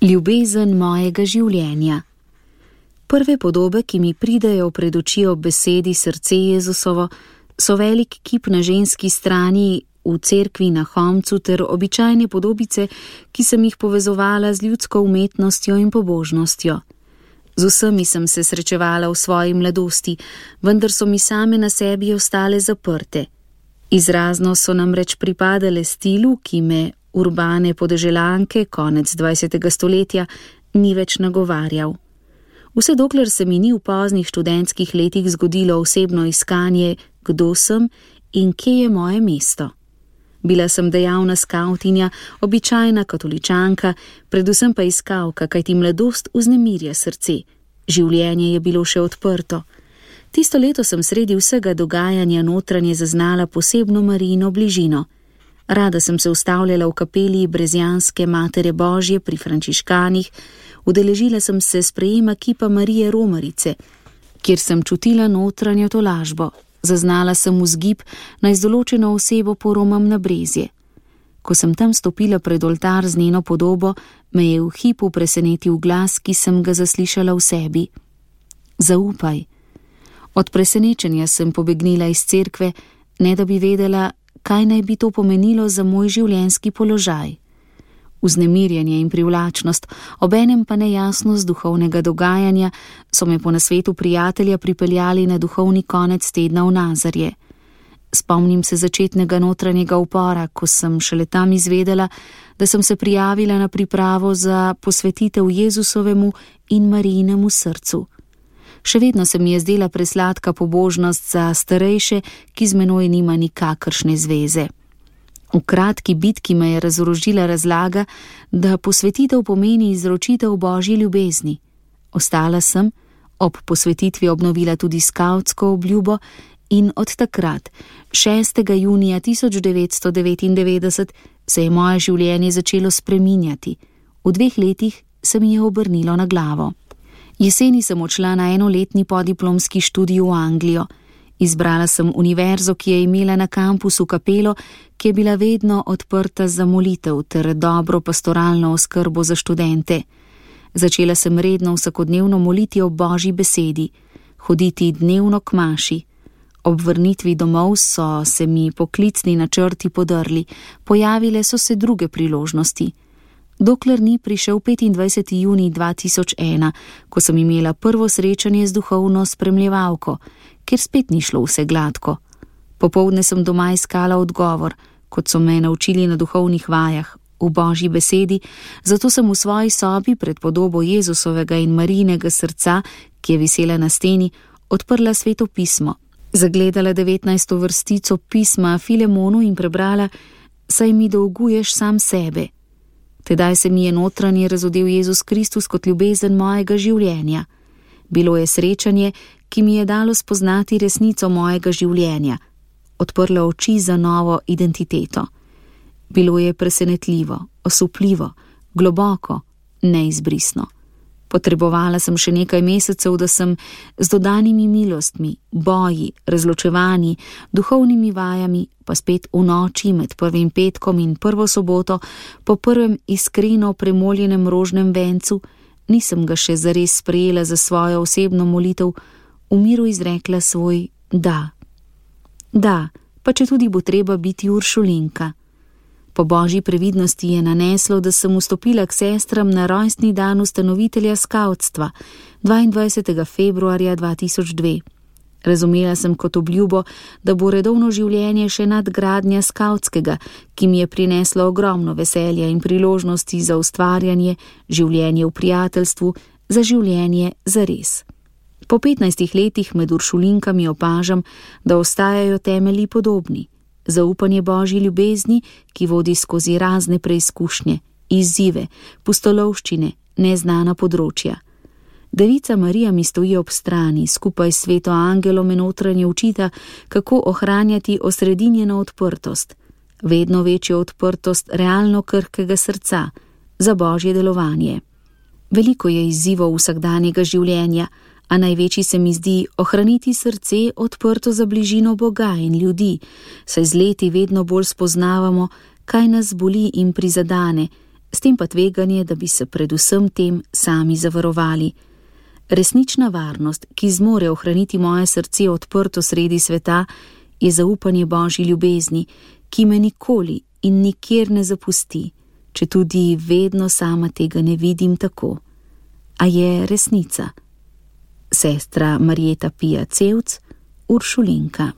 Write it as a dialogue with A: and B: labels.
A: Ljubezen mojega življenja. Prve podobe, ki mi pridejo pred oči ob besedi srce Jezusovo, so velik kip na ženski strani v cerkvi na Homcu ter običajne podobice, ki sem jih povezovala z ljudsko umetnostjo in pobožnostjo. Z vsemi sem se srečevala v svoji mladosti, vendar so mi same na sebi ostale zaprte. Izrazno so namreč pripadale stilu, ki me urbane podeželanke konec 20. stoletja ni več nagovarjal. Vse dokler se mi ni v poznih študentskih letih zgodilo osebno iskanje, kdo sem in kje je moje mesto. Bila sem dejavna skavtinja, običajna katoličanka, predvsem pa iskalka, kajti mladost vznemirja srce. Življenje je bilo še odprto. Tisto leto sem sredi vsega dogajanja notranje zaznala posebno Marijino bližino. Rada sem se ustavljala v kapeli Brezjanske Matere Božje pri frančiškanih, udeležila sem se sprejema kipa Marije Romarice, kjer sem čutila notranjo tolažbo. Zaznala sem vzgib, naj z določeno osebo poromam na brezje. Ko sem tam stopila pred oltar z njeno podobo, me je v hipu presenetil glas, ki sem ga zaslišala v sebi. Zaupaj. Od presenečenja sem pobegnila iz cerkve, ne da bi vedela, kaj naj bi to pomenilo za moj življenjski položaj. Vznemirjenje in privlačnost, obenem pa nejasnost duhovnega dogajanja so me po nasvetu prijatelja pripeljali na duhovni konec tedna v Nazarje. Spomnim se začetnega notranjega upora, ko sem šele tam izvedela, da sem se prijavila na pripravo za posvetitev Jezusovemu in Marijinemu srcu. Še vedno se mi je zdela presladka pobožnost za starejše, ki z menoj nima nikakršne zveze. V kratki bitki me je razorožila razlaga, da posvetitev pomeni izročitev Božji ljubezni. Ostala sem, ob posvetitvi obnovila tudi skavtsko obljubo in od takrat, 6. junija 1999, se je moje življenje začelo spreminjati. V 2 letih se mi je obrnilo na glavo. Jeseni sem odšla na 1-letni podiplomski študij v Anglijo. Izbrala sem univerzo, ki je imela na kampusu kapelo, ki je bila vedno odprta za molitev ter dobro pastoralno oskrbo za študente. Začela sem redno vsakodnevno moliti ob Božji besedi, hoditi dnevno k maši. Ob vrnitvi domov so se mi poklicni načrti podrli, pojavile so se druge priložnosti. Dokler ni prišel 25. junij 2001, ko sem imela prvo srečanje z duhovno spremljevalko, ker spet ni šlo vse gladko. Popoldne sem doma iskala odgovor, kot so me naučili na duhovnih vajah, v Božji besedi, zato sem v svoji sobi pred podobo Jezusovega in Marijinega srca, ki je visela na steni, odprla Sveto pismo, zagledala 19. vrstico pisma Filemonu in prebrala: saj mi dolguješ sam sebe. Tedaj se mi je notranje razodel Jezus Kristus kot ljubezen mojega življenja. Bilo je srečanje, ki mi je dalo spoznati resnico mojega življenja, odprlo oči za novo identiteto. Bilo je presenetljivo, osupljivo, globoko, neizbrisno. Potrebovala sem še nekaj mesecev, da sem z dodanimi milostmi, boji, razločevanji, duhovnimi vajami, pa spet v noči med 1. petkom in 1. soboto, po prvem iskreno premoljenem rožnem vencu, nisem ga še zares sprejela za svojo osebno molitev, v miru izrekla svoj da. Da, pa če tudi bo treba biti uršulinka. Po Božji previdnosti je naneslo, da sem vstopila k sestram na rojstni dan ustanovitelja skavtstva, 22. februarja 2002. Razumela sem kot obljubo, da bo redovno življenje še nadgradnja skavtskega, ki mi je prineslo ogromno veselja in priložnosti za ustvarjanje, življenje v prijateljstvu, za življenje zares. Po 15 letih med uršulinkami opažam, da ostajajo temelji podobni. Zaupanje Božji ljubezni, ki vodi skozi razne preizkušnje, izzive, pustolovščine, neznana področja. Devica Marija mi stoji ob strani, skupaj s sveto angelom in notranje učita, kako ohranjati osredinjeno odprtost, vedno večjo odprtost realno krhkega srca, za Božje delovanje. Veliko je izzivov vsakdanjega življenja, a največji se mi zdi ohraniti srce odprto za bližino Boga in ljudi, saj z leti vedno bolj spoznavamo, kaj nas boli in prizadane, s tem pa tveganje, da bi se predvsem tem sami zavarovali. Resnična varnost, ki zmore ohraniti moje srce odprto sredi sveta, je zaupanje Božji ljubezni, ki me nikoli in nikjer ne zapusti, četudi vedno sama tega ne vidim tako. A je resnica. Sestra Marjeta Pija Cevc, Uršulinka.